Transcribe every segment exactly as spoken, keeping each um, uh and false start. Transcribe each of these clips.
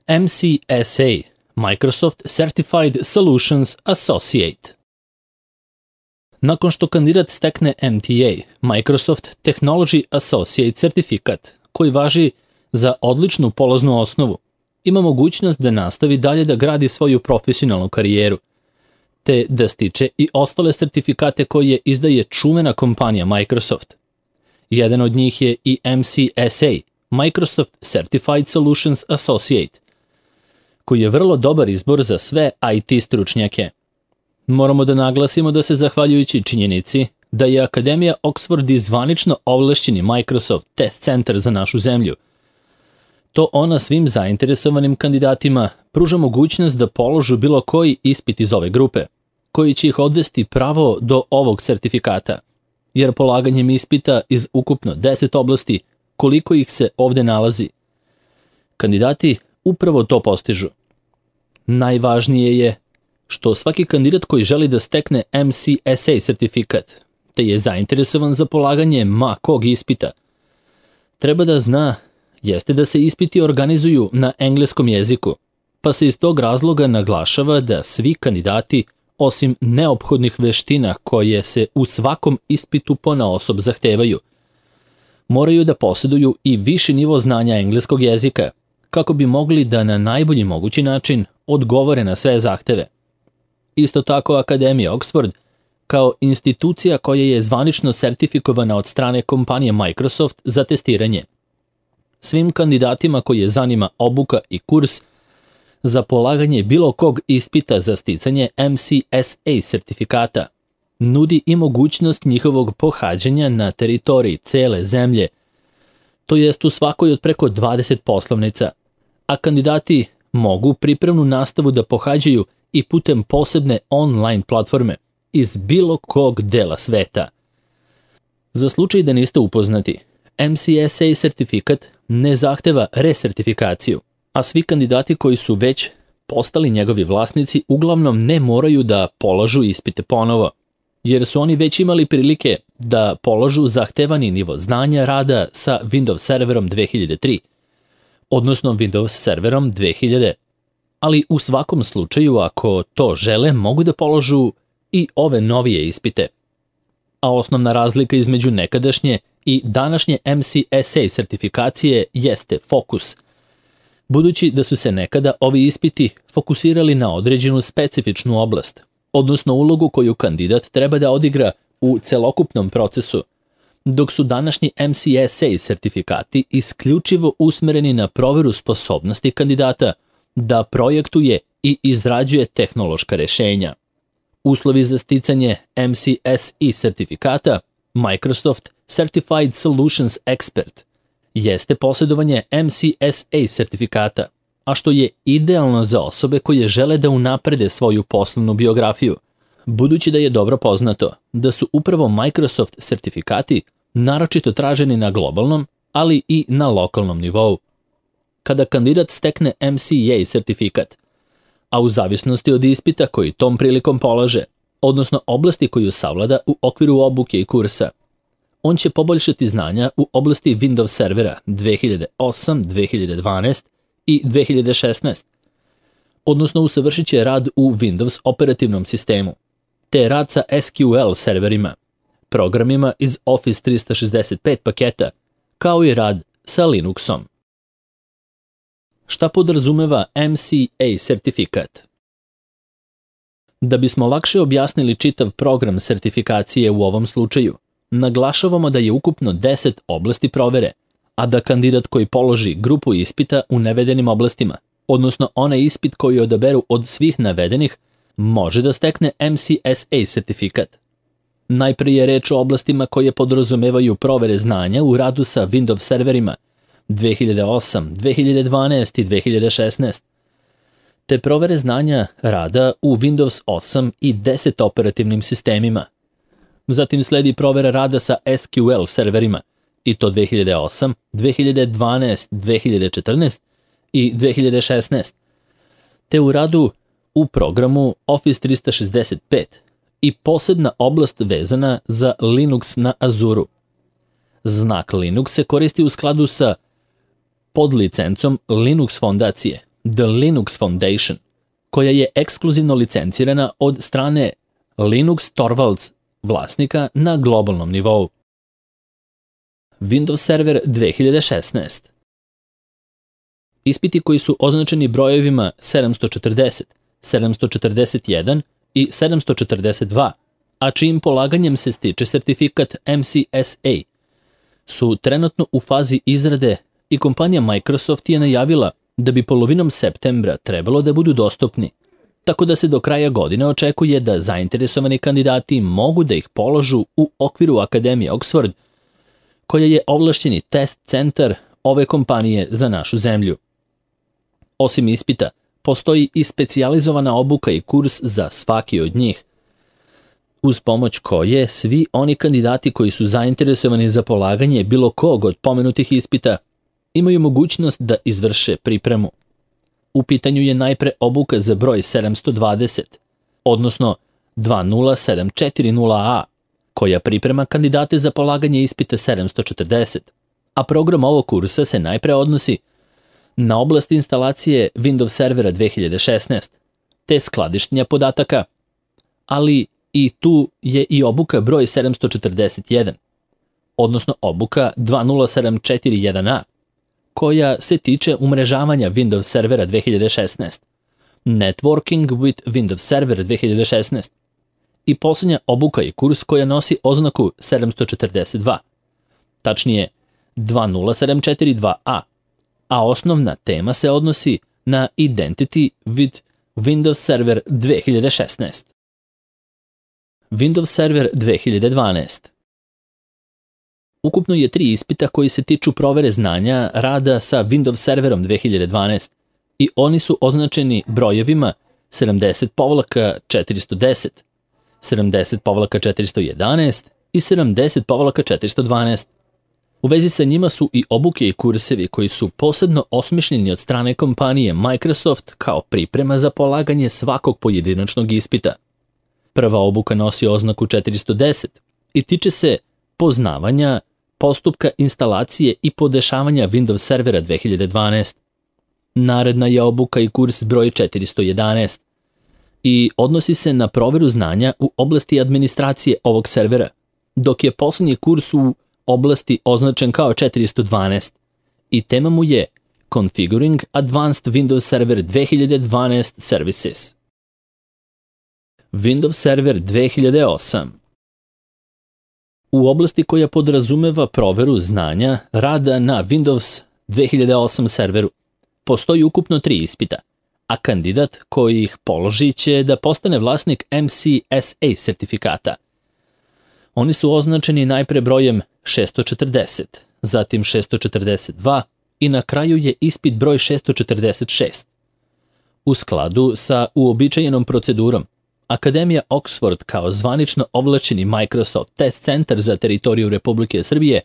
M C S A, Microsoft Certified Solutions Associate. Nakon što kandidat stekne M T A, Microsoft Technology Associate certifikat, koji važi za odličnu polaznu osnovu, ima mogućnost da nastavi dalje da gradi svoju profesionalnu karijeru, te da stiče i ostale sertifikate koje izdaje čuvena kompanija Microsoft. Jedan od njih je i M C S A, Microsoft Certified Solutions Associate, koji je vrlo dobar izbor za sve I T stručnjake. Moramo da naglasimo da se zahvaljujući činjenici da je Akademija Oxford i zvanično ovlašćeni Microsoft Test Center za našu zemlju, to ona svim zainteresovanim kandidatima pruža mogućnost da položu bilo koji ispit iz ove grupe, koji će ih odvesti pravo do ovog sertifikata, jer polaganjem ispita iz ukupno deset oblasti, koliko ih se ovde nalazi, kandidati upravo to postižu. Najvažnije je što svaki kandidat koji želi da stekne M C S A sertifikat, te je zainteresovan za polaganje ma kog ispita, treba da zna jeste da se ispiti organizuju na engleskom jeziku, pa se iz tog razloga naglašava da svi kandidati, osim neophodnih veština koje se u svakom ispitu ponaosob zahtevaju, moraju da posjeduju i viši nivo znanja engleskog jezika, kako bi mogli da na najbolji mogući način odgovore na sve zahteve. Isto tako Akademija Oxford, kao institucija koja je zvanično sertifikovana od strane kompanije Microsoft za testiranje, svim kandidatima koji je zanima obuka i kurs za polaganje bilo kog ispita za sticanje M C S A sertifikata, nudi i mogućnost njihovog pohađanja na teritoriji cele zemlje, to jest u svakoj od preko dvadeset poslovnica, a kandidati mogu pripremnu nastavu da pohađaju i putem posebne online platforme iz bilo kog dela sveta. Za slučaj da niste upoznati, M C S A sertifikat ne zahteva resertifikaciju, a svi kandidati koji su već postali njegovi vlasnici uglavnom ne moraju da polažu ispite ponovo, jer su oni već imali prilike da polažu zahtevani nivo znanja rada sa Windows serverom dve hiljade tri, odnosno Windows serverom dve hiljade, ali u svakom slučaju ako to žele mogu da položu i ove novije ispite. A osnovna razlika između nekadašnje i današnje M C S A sertifikacije jeste fokus, budući da su se nekada ovi ispiti fokusirali na određenu specifičnu oblast, odnosno ulogu koju kandidat treba da odigra u celokupnom procesu, dok su današnji M C S A sertifikati isključivo usmereni na proveru sposobnosti kandidata da projektuje i izrađuje tehnološka rešenja. Uslovi za sticanje M C S A sertifikata Microsoft Certified Solutions Expert jeste posjedovanje M C S A sertifikata, a što je idealno za osobe koje žele da unaprede svoju poslovnu biografiju, budući da je dobro poznato da su upravo Microsoft sertifikati naročito traženi na globalnom, ali i na lokalnom nivou. Kada kandidat stekne M C A sertifikat, a u zavisnosti od ispita koji tom prilikom polaže, odnosno oblasti koju savlada u okviru obuke i kursa, on će poboljšati znanja u oblasti Windows servera dve hiljade osam, dve hiljade dvanaest i dve hiljade šesnaest, odnosno usavršit će rad u Windows operativnom sistemu, te rad sa S Q L serverima, programima iz Office trista šezdeset pet paketa, kao i rad sa Linuxom. Šta podrazumeva M C A sertifikat? Da bismo lakše objasnili čitav program sertifikacije u ovom slučaju, naglašavamo da je ukupno deset oblasti provere, a da kandidat koji položi grupu ispita u navedenim oblastima, odnosno onaj ispit koji odaberu od svih navedenih, može da stekne M C S A sertifikat. Najprije je reč o oblastima koje podrazumevaju provere znanja u radu sa Windows serverima dve hiljade osam, dve hiljade dvanaest i dve hiljade šesnaest, te provere znanja rada u Windows osam i deset operativnim sistemima. Zatim sledi provera rada sa S Q L serverima, i to dve hiljade osam, dve hiljade dvanaest, dve hiljade četrnaest i dve hiljade šesnaest, te u radu u programu Office trista šezdeset pet i posebna oblast vezana za Linux na Azuru. Znak Linux se koristi u skladu sa podlicencom Linux fondacije The Linux Foundation, koja je ekskluzivno licencirana od strane Linus Torvalds, vlasnika na globalnom nivou. Windows Server dve hiljade šesnaest. Ispiti koji su označeni brojevima sedamsto četrdeset, sedamsto četrdeset jedan i sedamsto četrdeset dva, a čijim polaganjem se stiče sertifikat M C S A, su trenutno u fazi izrade i kompanija Microsoft je najavila da bi polovinom septembra trebalo da budu dostupni, tako da se do kraja godine očekuje da zainteresovani kandidati mogu da ih položu u okviru Akademije Oxford, koja je ovlašćeni test centar ove kompanije za našu zemlju. Osim ispita, postoji i specijalizovana obuka i kurs za svaki od njih, uz pomoć koje svi oni kandidati koji su zainteresovani za polaganje bilo kog od pomenutih ispita imaju mogućnost da izvrše pripremu. U pitanju je najpre obuka za broj sedamsto dvadeset, odnosno dva nula sedam četiri nula A, koja priprema kandidate za polaganje ispita sedamsto četrdeset, a program ovog kursa se najpre odnosi na oblast instalacije Windows Servera dve hiljade šesnaest, te skladištenja podataka, ali i tu je i obuka broj sedamsto četrdeset jedan, odnosno obuka dva nula sedam četiri jedan A, koja se tiče umrežavanja Windows Servera dve hiljade šesnaest, Networking with Windows Server dve hiljade šesnaest i posljednja obuka i kurs koja nosi oznaku sedamsto četrdeset dva, tačnije dva nula sedam četiri dva A, a osnovna tema se odnosi na Identity with Windows Server dve hiljade šesnaest. Windows Server dve hiljade dvanaest. Ukupno je tri ispita koji se tiču provere znanja rada sa Windows Serverom dve hiljade dvanaest i oni su označeni brojevima sedamdeset četiristo deset, sedamdeset četiristo jedanaest i sedamdeset četiristo dvanaest. U vezi sa njima su i obuke i kursevi koji su posebno osmišljeni od strane kompanije Microsoft kao priprema za polaganje svakog pojedinačnog ispita. Prva obuka nosi oznaku četiristo deset i tiče se poznavanja postupka instalacije i podešavanja Windows Servera dve hiljade dvanaest. Naredna je obuka i kurs broj četiristo jedanaest i odnosi se na proveru znanja u oblasti administracije ovog servera, dok je posljednji kurs u oblasti označen kao četiristo dvanaest i tema mu je Configuring Advanced Windows Server dve hiljade dvanaest Services. Windows Server dve hiljade osam. U oblasti koja podrazumeva proveru znanja rada na Windows dve hiljade osam serveru postoji ukupno tri ispita, a kandidat koji ih položi će da postane vlasnik M C S A sertifikata. Oni su označeni najpre brojem šessto četrdeset, zatim šessto četrdeset dva i na kraju je ispit broj šessto četrdeset šest. U skladu sa uobičajenom procedurom, Akademija Oxford kao zvanično ovlašćeni Microsoft test centar za teritoriju Republike Srbije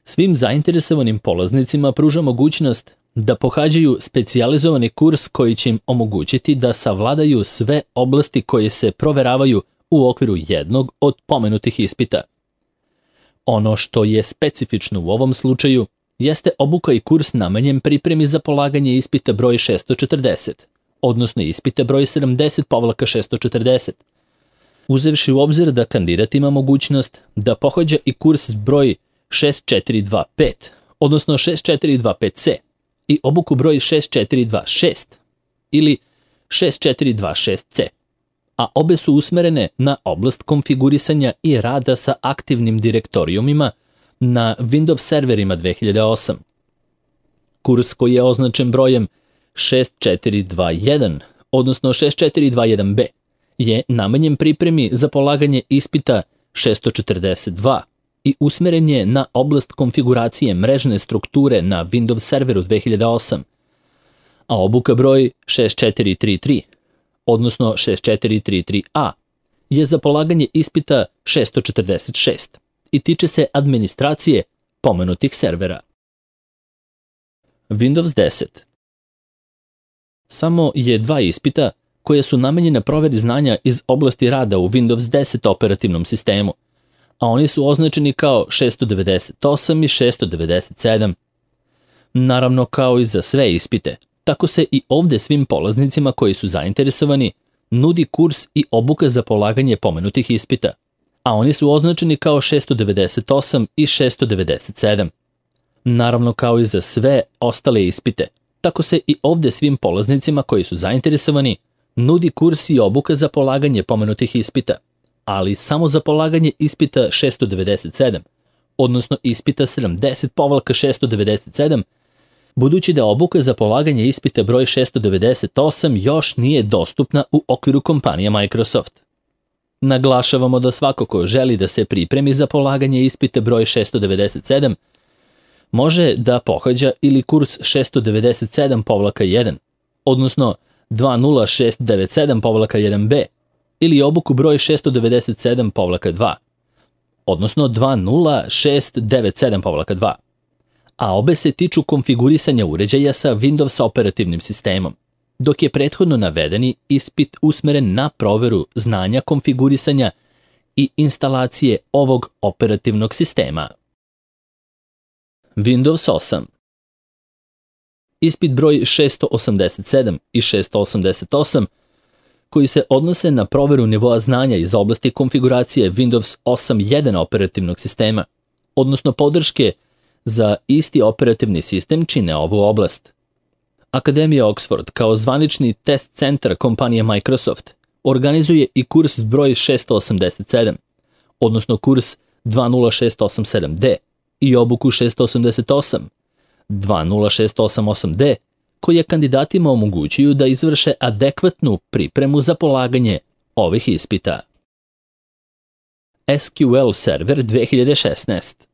svim zainteresovanim polaznicima pruža mogućnost da pohađaju specijalizovani kurs koji će im omogućiti da savladaju sve oblasti koje se proveravaju u okviru jednog od pomenutih ispita. Ono što je specifično u ovom slučaju jeste obuka i kurs namenjen pripremi za polaganje ispita broj šessto četrdeset, odnosno ispite broj sedamdeset šeststo četrdeset, uzevši u obzir da kandidat ima mogućnost da pohađa i kurs broj šest četiri dva pet, odnosno šest četiri dva pet C, i obuku broj šest četiri dva šest ili šest četiri dva šest C, a obe su usmerene na oblast konfigurisanja i rada sa aktivnim direktorijumima na Windows serverima dve hiljade osam. Kurs koji je označen brojem šest četiri dva jedan, odnosno šest četiri dva jedan B, je namenjen pripremi za polaganje ispita šessto četrdeset dva i usmeren je na oblast konfiguracije mrežne strukture na Windows serveru dve hiljade osam, a obuka broj šest četiri tri tri, odnosno šest četiri tri tri A, je za polaganje ispita šessto četrdeset šest i tiče se administracije pomenutih servera. Windows deset. Samo je dva ispita koje su namenjene proveri znanja iz oblasti rada u Windows deset operativnom sistemu, a oni su označeni kao šessto devedeset osam i šessto devedeset sedam. Naravno, kao i za sve ispite, Tako se i ovde svim polaznicima koji su zainteresovani nudi kurs i obuka za polaganje pomenutih ispita, a oni su označeni kao šesto devedeset osam i šesto devedeset sedam. Naravno, kao i za sve ostale ispite, tako se i ovde svim polaznicima koji su zainteresovani nudi kurs i obuka za polaganje pomenutih ispita, ali samo za polaganje ispita šesto devedeset sedam, odnosno ispita sedamdeset šesto devedeset sedam, budući da obuka za polaganje ispita broj šesto devedeset osam još nije dostupna u okviru kompanije Microsoft. Naglašavamo da svako ko želi da se pripremi za polaganje ispita broj šesto devedeset sedam, može da pohađa ili kurs šesto devedeset sedam jedan, odnosno dva nula šest devet sedam jedan B, ili obuku broj šesto devedeset sedam dva, odnosno dva nula šest devet sedam dva, a obe se tiču konfigurisanja uređaja sa Windows operativnim sistemom, dok je prethodno navedeni ispit usmeren na proveru znanja konfigurisanja i instalacije ovog operativnog sistema. Windows osam. Ispit broj šesto osamdeset sedam i šesto osamdeset osam, koji se odnose na proveru nivoa znanja iz oblasti konfiguracije Windows osam jedan operativnog sistema, odnosno podrške za isti operativni sistem čine ovu oblast. Akademija Oxford kao zvanični test centar kompanije Microsoft organizuje i kurs broj šesto osamdeset sedam, odnosno kurs dva nula šest osam sedam D i obuku šesto osamdeset osam, dva nula šest osam osam D, koje kandidatima omogućuju da izvrše adekvatnu pripremu za polaganje ovih ispita. S Q L Server dve hiljade šesnaest.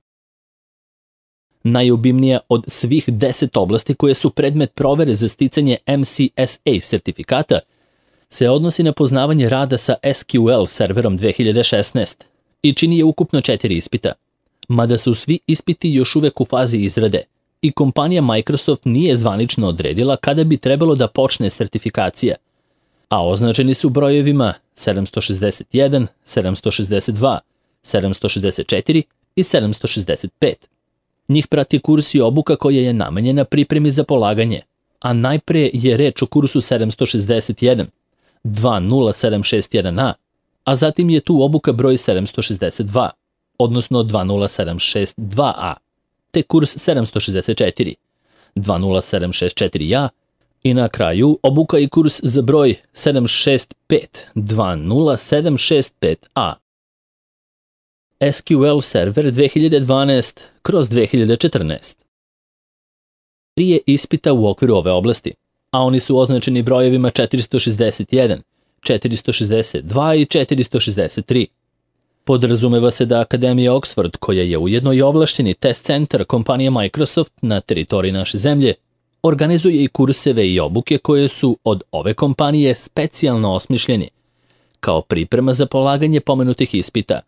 Najobimnija od svih deset oblasti koje su predmet provere za sticanje M C S A sertifikata se odnosi na poznavanje rada sa S Q L serverom dve hiljade šesnaest i čini je ukupno četiri ispita, mada su svi ispiti još uvek u fazi izrade i kompanija Microsoft nije zvanično odredila kada bi trebalo da počne sertifikacija, a označeni su brojevima sedamsto šezdeset jedan, sedamsto šezdeset dva, sedamsto šezdeset četiri i sedamsto šezdeset pet. Njih prati kurs i obuka koja je namenjena pripremi za polaganje, a najpre je reč o kursu sedamsto šezdeset jedan, dva nula sedam šest jedan A, a zatim je tu obuka broj sedamsto šezdeset dva, odnosno dva nula sedam šest dva A, te kurs sedamsto šezdeset četiri, dva nula sedam šest četiri A i na kraju obuka i kurs za broj sedam šest pet, dva nula sedam šest pet A. S Q L Server dve hiljade dvanaest kroz dve hiljade četrnaest. Prije ispita u okviru ove oblasti, a oni su označeni brojevima četiristo šezdeset jedan, četiristo šezdeset dva i četiristo šezdeset tri. Podrazumeva se da Akademija Oxford, koja je ujedno i ovlašćeni test centar kompanije Microsoft na teritoriji naše zemlje, organizuje i kurseve i obuke koje su od ove kompanije specijalno osmišljeni, kao priprema za polaganje pomenutih ispita.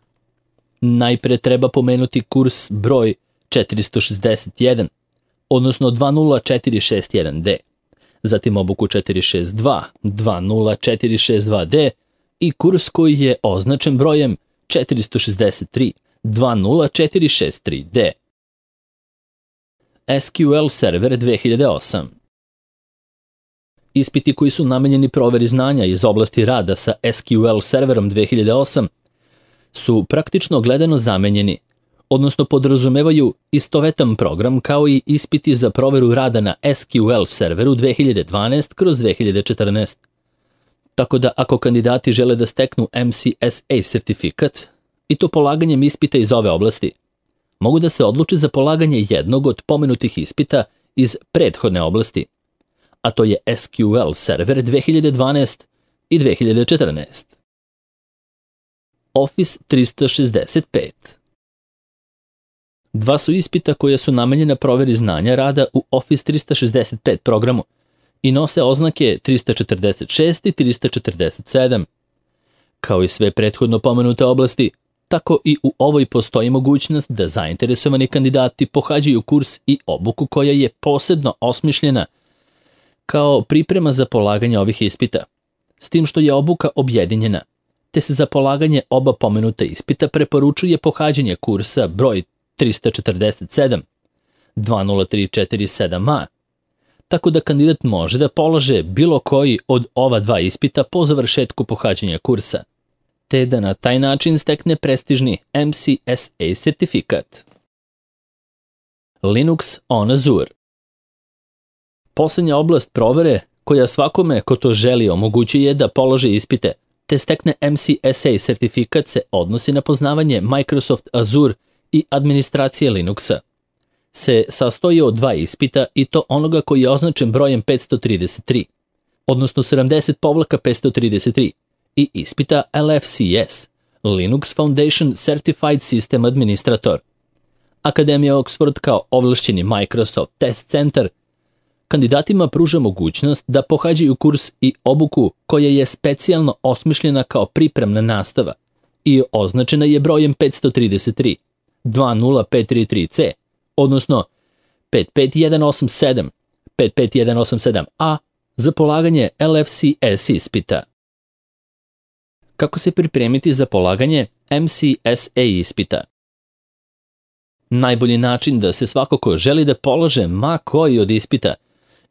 Najpre treba pomenuti kurs broj četiristo šezdeset jedan, odnosno dva nula četiri šest jedan D, zatim obuku četiristo šezdeset dva, dva nula četiri šest dva D i kurs koji je označen brojem četiristo šezdeset tri, dva nula četiri šest tri D. S Q L Server dve hiljade osam. Ispiti koji su namenjeni proveri znanja iz oblasti rada sa S Q L serverom dve hiljade osam su praktično gledano zamenjeni, odnosno podrazumevaju istovetan program kao i ispiti za proveru rada na S Q L serveru dve hiljade dvanaest kroz dve hiljade četrnaest. Tako da ako kandidati žele da steknu M C S A sertifikat, i to polaganjem ispita iz ove oblasti, mogu da se odluče za polaganje jednog od pomenutih ispita iz prethodne oblasti, a to je S Q L Server dve hiljade dvanaest i dve hiljade četrnaest. Office trista šezdeset pet. Dva su ispita koja su namenjena proveri znanja rada u Office trista šezdeset pet programu i nose oznake trista četrdeset šest i trista četrdeset sedam. Kao i sve prethodno pomenute oblasti, tako i u ovoj postoji mogućnost da zainteresovani kandidati pohađaju kurs i obuku koja je posebno osmišljena kao priprema za polaganje ovih ispita, s tim što je obuka objedinjena, te se za polaganje oba pomenuta ispita preporučuje pohađanje kursa broj trista četrdeset sedam, dva nula tri četiri sedam A, tako da kandidat može da polaže bilo koji od ova dva ispita po završetku pohađanja kursa, te da na taj način stekne prestižni M C S A sertifikat. Linux on Azure. Poslednja oblast provere koja svakome ko to želi omogućuje da položi ispite te stekne M C S A sertifikat se odnosi na poznavanje Microsoft Azure i administracije Linuxa. Se sastoji od dva ispita i to onoga koji je označen brojem petsto trideset tri, odnosno sedamdeset petsto trideset tri, i ispita L F C S, Linux Foundation Certified System Administrator. Akademija Oxford kao ovlašćeni Microsoft Test Center kandidatima pruža mogućnost da pohađaju kurs i obuku koja je specijalno osmišljena kao pripremna nastava i označena je brojem petsto trideset tri, dva nula pet tri tri C, odnosno pet pet jedan osam sedam, pet pet jedan osam sedam A za polaganje L F C S ispita. Kako se pripremiti za polaganje M C S A ispita? Najbolji način da se svako ko želi da polaže ma koji od ispita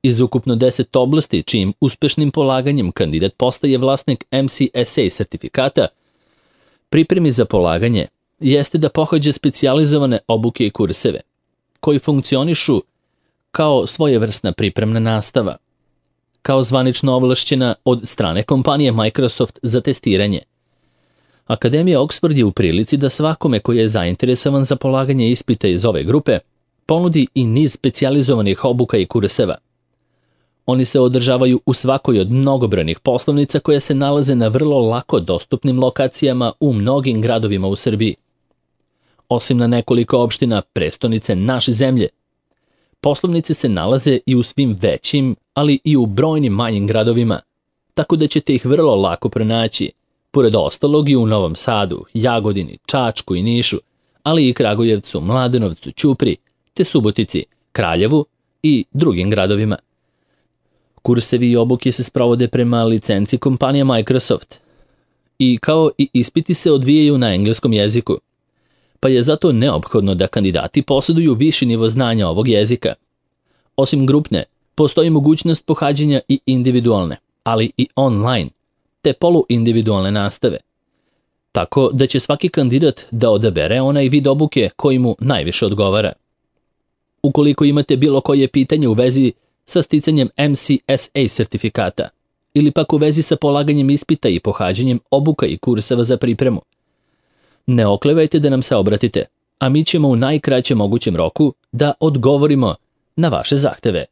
iz ukupno deset oblasti čijim uspešnim polaganjem kandidat postaje vlasnik M C S A sertifikata, pripremi za polaganje jeste da pohađa specijalizovane obuke i kurseve, koji funkcionišu kao svojevrsna pripremna nastava, kao zvanično ovlašćena od strane kompanije Microsoft za testiranje. Akademija Oxford je u prilici da svakome koji je zainteresovan za polaganje ispita iz ove grupe ponudi i niz specijalizovanih obuka i kurseva. Oni se održavaju u svakoj od mnogobrojnih poslovnica koje se nalaze na vrlo lako dostupnim lokacijama u mnogim gradovima u Srbiji. Osim na nekoliko opština prestonice naše zemlje, poslovnice se nalaze i u svim većim, ali i u brojnim manjim gradovima, tako da ćete ih vrlo lako pronaći, pored ostalog i u Novom Sadu, Jagodini, Čačku i Nišu, ali i Kragujevcu, Mladenovcu, Ćupriji, te Subotici, Kraljevu i drugim gradovima. Kursevi i obuke se sprovode prema licenci kompanije Microsoft i kao i ispiti se odvijaju na engleskom jeziku, pa je zato neophodno da kandidati posjeduju viši nivo znanja ovog jezika. Osim grupne, postoji mogućnost pohađanja i individualne, ali i online, te poluindividualne nastave, tako da će svaki kandidat da odabere onaj vid obuke koji mu najviše odgovara. Ukoliko imate bilo koje pitanje u vezi sa sticanjem M C S A sertifikata ili pak u vezi sa polaganjem ispita i pohađanjem obuka i kurseva za pripremu, ne oklevajte da nam se obratite, a mi ćemo u najkraćem mogućem roku da odgovorimo na vaše zahteve.